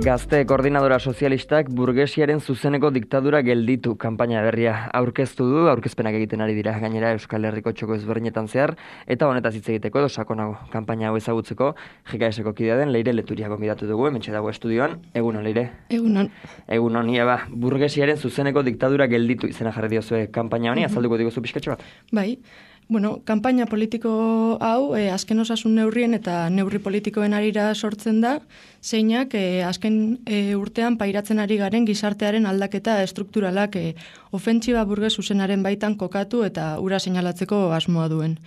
Gazte koordinadora sozialistak burgesiaren zuzeneko diktadura gelditu kanpaina berria aurkeztu du, aurkezpenak egiten ari dira gainera Euskal Herriko txoko ezberdinetan zehar, eta honetaz hitz egiteko edo sakonago kanpaina hau ezagutzeko GKS-ko kidea den Leire Leturia gonbidatu dugu, hementxe dago estudioan. Egunon, Leire? Egunon. Egunon, burgesiaren zuzeneko diktadura gelditu izena jarri diozue kanpaina honi, azalduko diguzu pixkatxo bat? Bai. Kanpaina politiko hau azken osasun neurrien eta neurri politikoen arira sortzen da, zeinak azken urtean pairatzen ari garen gizartearen aldaketa estrukturalak ofentsiba burges zuzenaren baitan kokatu eta ura seinalatzeko asmoa duen.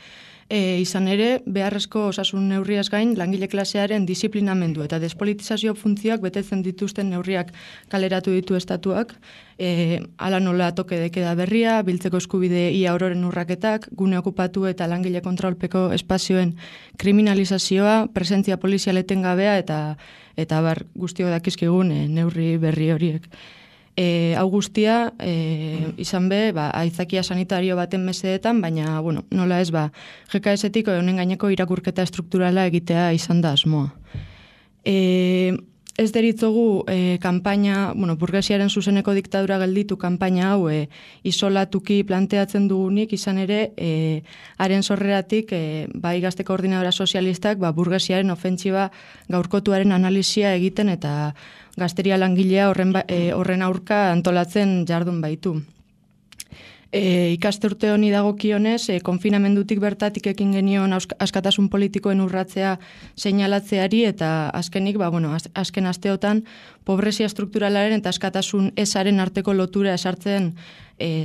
Izan ere, beharrezko osasun neurriaz gain, langile klasearen disiplinamendu eta despolitizazio funtzioak betetzen dituzten neurriak kaleratu ditu estatuak, ala nola toke dekeda berria, biltzeko eskubide ia ororen urraketak, gune okupatu eta langile kontrolpeko espazioen kriminalizazioa, presentzia polizialeten gabea eta bar guztiok dakizkigun neurri berri horiek. Hau guztia, izan be, aitzakia sanitario baten mesedetan, baina, nola ez, GKS-etik honen gaineko irakurketa estrukturala egitea izan da asmoa. Ez deritzogu kanpaina, burgesiaren zuzeneko diktadura gelditu kanpaina hau isolatuki planteatzen dugunik, izan ere, haren sorreratik, bai gazte koordinadora sozialistak, burgesiaren ofentsiba gaurkotuaren analizia egiten eta gazteria langilea horren aurka antolatzen jardun baitu. Ikaste urte honi dagokionez, konfinamendutik bertatik ekin genion askatasun politikoen urratzea seinalatzeari eta azkenik, azken asteotan, pobrezia strukturalaren eta askatasun ezaren arteko lotura esartzen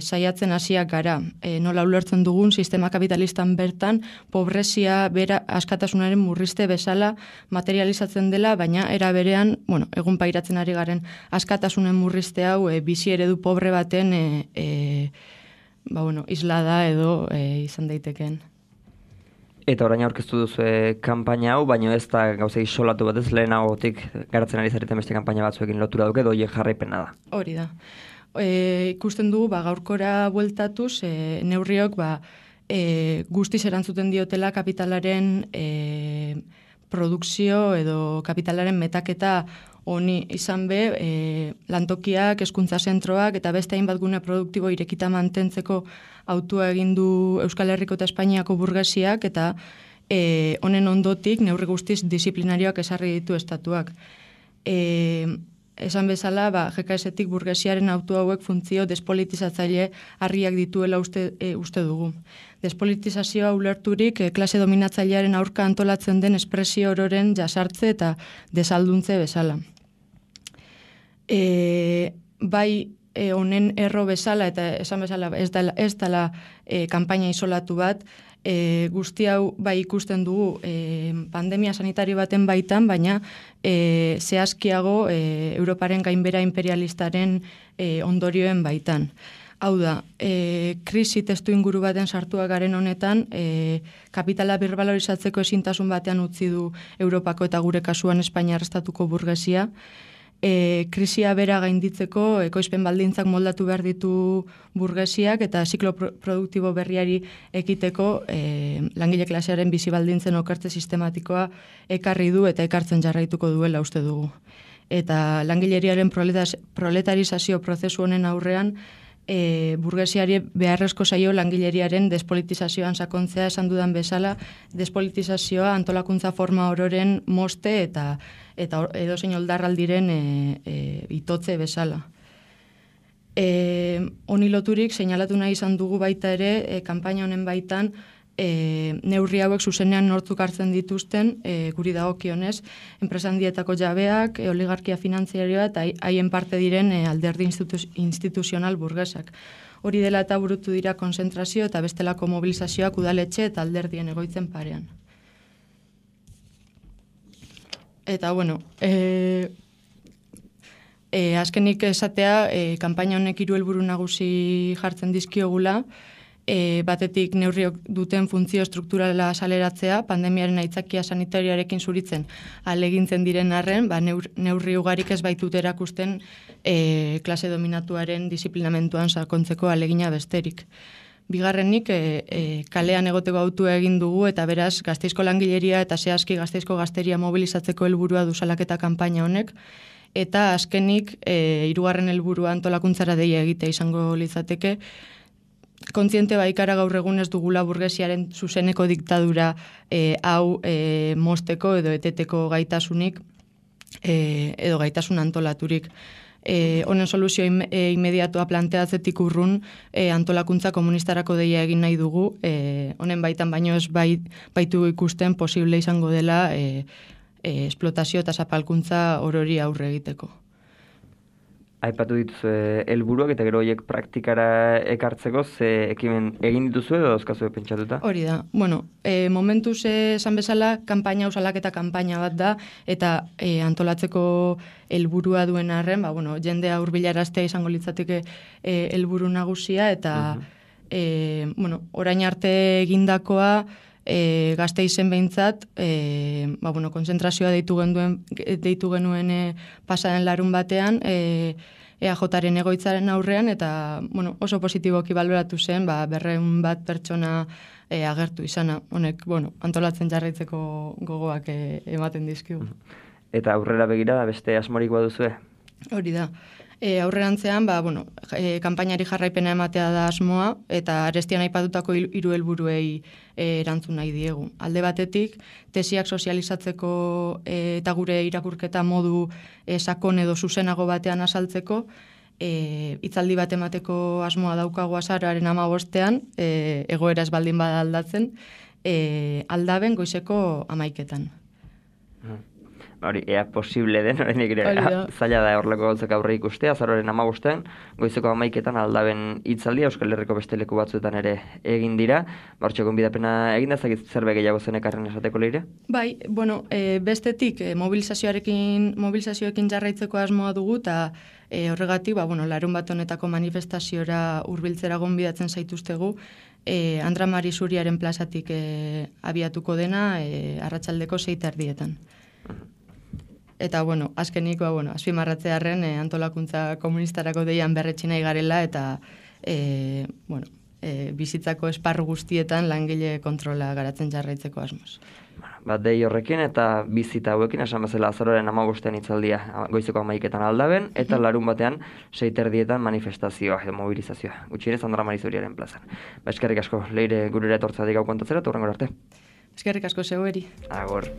saiatzen hasiak gara. Nola ulertzen dugun sistema kapitalistan bertan, pobrezia bera askatasunaren murrizte bezala materializatzen dela, baina era berean, egun pairatzen ari garen askatasunen murrizte hau bizi eredu pobre baten islada edo izan daiteken. Eta orain aurkeztu duzu kanpaina hau, baina ez da gauza isolatu bat ez lehenagotik garatzen ari zareten beste kanpaina batzuekin lotura duke, edo jarraipena da. Hori da. Ikusten dugu, gaurkora bueltatuz, neurriok guztiz erantzuten diotela kapitalaren produkzio edo kapitalaren metaketa honi izan be, lantokiak, hezkuntza zentroak eta beste hainbat gune produktibo irekita mantentzeko autua egin du Euskal Herriko eta Espainiako burgesiak eta honen ondotik neurri guztiz disiplinarioak esarri ditu estatuak. Esan bezala, GKS-etik burgesiaren autu hauek funtzio despolitizatzaile harriak dituela uste dugu. Despolitizazioa ulerturik klase dominatzailearen aurka antolatzen den espresio ororen jasartze eta desalduntze bezala. Bai honen erro bezala eta esan bezala ez dela kanpaina isolatu bat, guzti hau ikusten dugu pandemia sanitario baten baitan, baina zehazkiago Europaren gainbera imperialistaren ondorioen baitan. Hau da, krisi testu inguru baten sartua garen honetan, kapitala birbalorizatzeko ezintasun batean utzi du Europako eta gure kasuan Espainiar estatuko burgesia, krisia bera gainditzeko ekoizpen baldintzak moldatu behar ditu burgesiak eta ziklo produktibo berriari ekiteko langile klasearen bizi baldintzen okertze sistematikoa ekarri du eta ekartzen jarraituko duela uste dugu. Eta langileriaren proletarizazio prozesu honen aurrean burgesiari beharrezko zaio langileriaren despolitizazioan sakontzea esan dudan bezala, despolitizazioa antolakuntza forma ororen moste eta edozein oldarraldiren itotze bezala. Honi loturik, seinalatu nahi izan dugu baita ere, kanpaina honen baitan, neurri hauek zuzenean nortzuk hartzen dituzten, guri dagokionez, enpresa handietako jabeak, oligarkia finanziarioa eta haien parte diren alderdi instituzional burgesak. Hori dela eta burutu dira konzentrazio eta bestelako mobilizazioak udaletxe eta alderdien egoitzen parean. Eta, Azkenik esatea, kanpaina honek 3 helburu nagusi jartzen dizkiogula, batetik neurriok duten funtzio strukturala saleratzea, pandemiaren aitzakia sanitarioarekin zuritzen alegintzen diren arren, neurri ugarik ez baitut erakusten klase dominatuaren disiplinamentuan sakontzeko alegina besterik. Bigarrenik, kalean egoteko autua egin dugu eta beraz Gasteizko langileria eta zehazki Gasteizko gazteria mobilizatzeko helburua du salaketa kanpaina honek, eta azkenik, 3. helburua antolakuntzara deia egitea izango litzateke, kontziente baikara gaur egun ez dugula burgesiaren zuzeneko diktadura hau mosteko edo eteteko gaitasunik edo gaitasun antolaturik. Honen soluzio inmediatoa planteatzetik urrun antolakuntza komunistarako deia egin nahi dugu, honen baitan baino ez baitu ikusten posible izango dela esplotazio eta zapalkuntza orori aurre egiteko. Aipatu dituzu helburuak eta gero horiek praktikara ekartzeko, ze ekimen egin dituzu edo dauzkazu pentsatuta? Hori da. Bueno, momentuz esan bezala, kanpaina salaketa kanpaina bat da, eta antolatzeko helburua duen arren, jendea hurbilaraztea izango litzateke helburu nagusia, eta orain arte egindakoa Gasteizen behintzat, konzentrazioa deitu genuen pasaren larun batean, EAJaren egoitzaren aurrean, eta oso positiboki baloratu zen, 200 bat pertsona agertu izana. Honek, antolatzen jarraitzeko gogoak ematen dizkigu. Eta aurrera begira beste asmorik baduzue? Hori da. Aurrerantzean, kanpainari jarraipena ematea da asmoa, eta arestian aipatutako 3 helburuei erantzun nahi diegu. Alde batetik, tesiak sozializatzeko eta gure irakurketa modu sakon edo zuzenago batean azaltzeko, hitzaldi bat emateko asmoa daukagu azaroaren 15ean, egoera ez baldin bada aldatzen, Aldaben goizeko 11etan. Hori, ea posible den, horrenik zaila da horrelako gauzak aurre ikustea, azaroaren 15ean, goizeko 11etan Aldaben hitzaldia Euskal Herriko beste leku batzuetan ere egin dira. Hortxe gonbidapena egin da, zakit zerbait gehiago zenekarren esateko Leire? Bai, bestetik mobilizazioekin jarraitzeko asmoa dugu, eta horregatik, larun bat honetako manifestaziora hurbiltzera gonbidatzen zaituztegu, Andra Mari Zuriaren plazatik abiatuko dena, arratsaldeko 6:30. Eta, azkeniko, azpimarratzearren antolakuntza komunistarako deian berretsi nahi garela, eta, bizitzako esparru guztietan langile kontrola garatzen jarraitzeko asmoz. Dei horrekin eta bizita hauekin, esan bezala azaroaren 15ean hitzaldia goizeko 11etan Aldaben, eta larun batean 6:30 manifestazioa edo mobilizazioa. Gutxienez Andra Mari Zuriaren plazan. Eskerrik asko, Leire gurera etortzatik hau kontatzera, eta hurrengora arte. Eskerrik asko zeueri. Agor.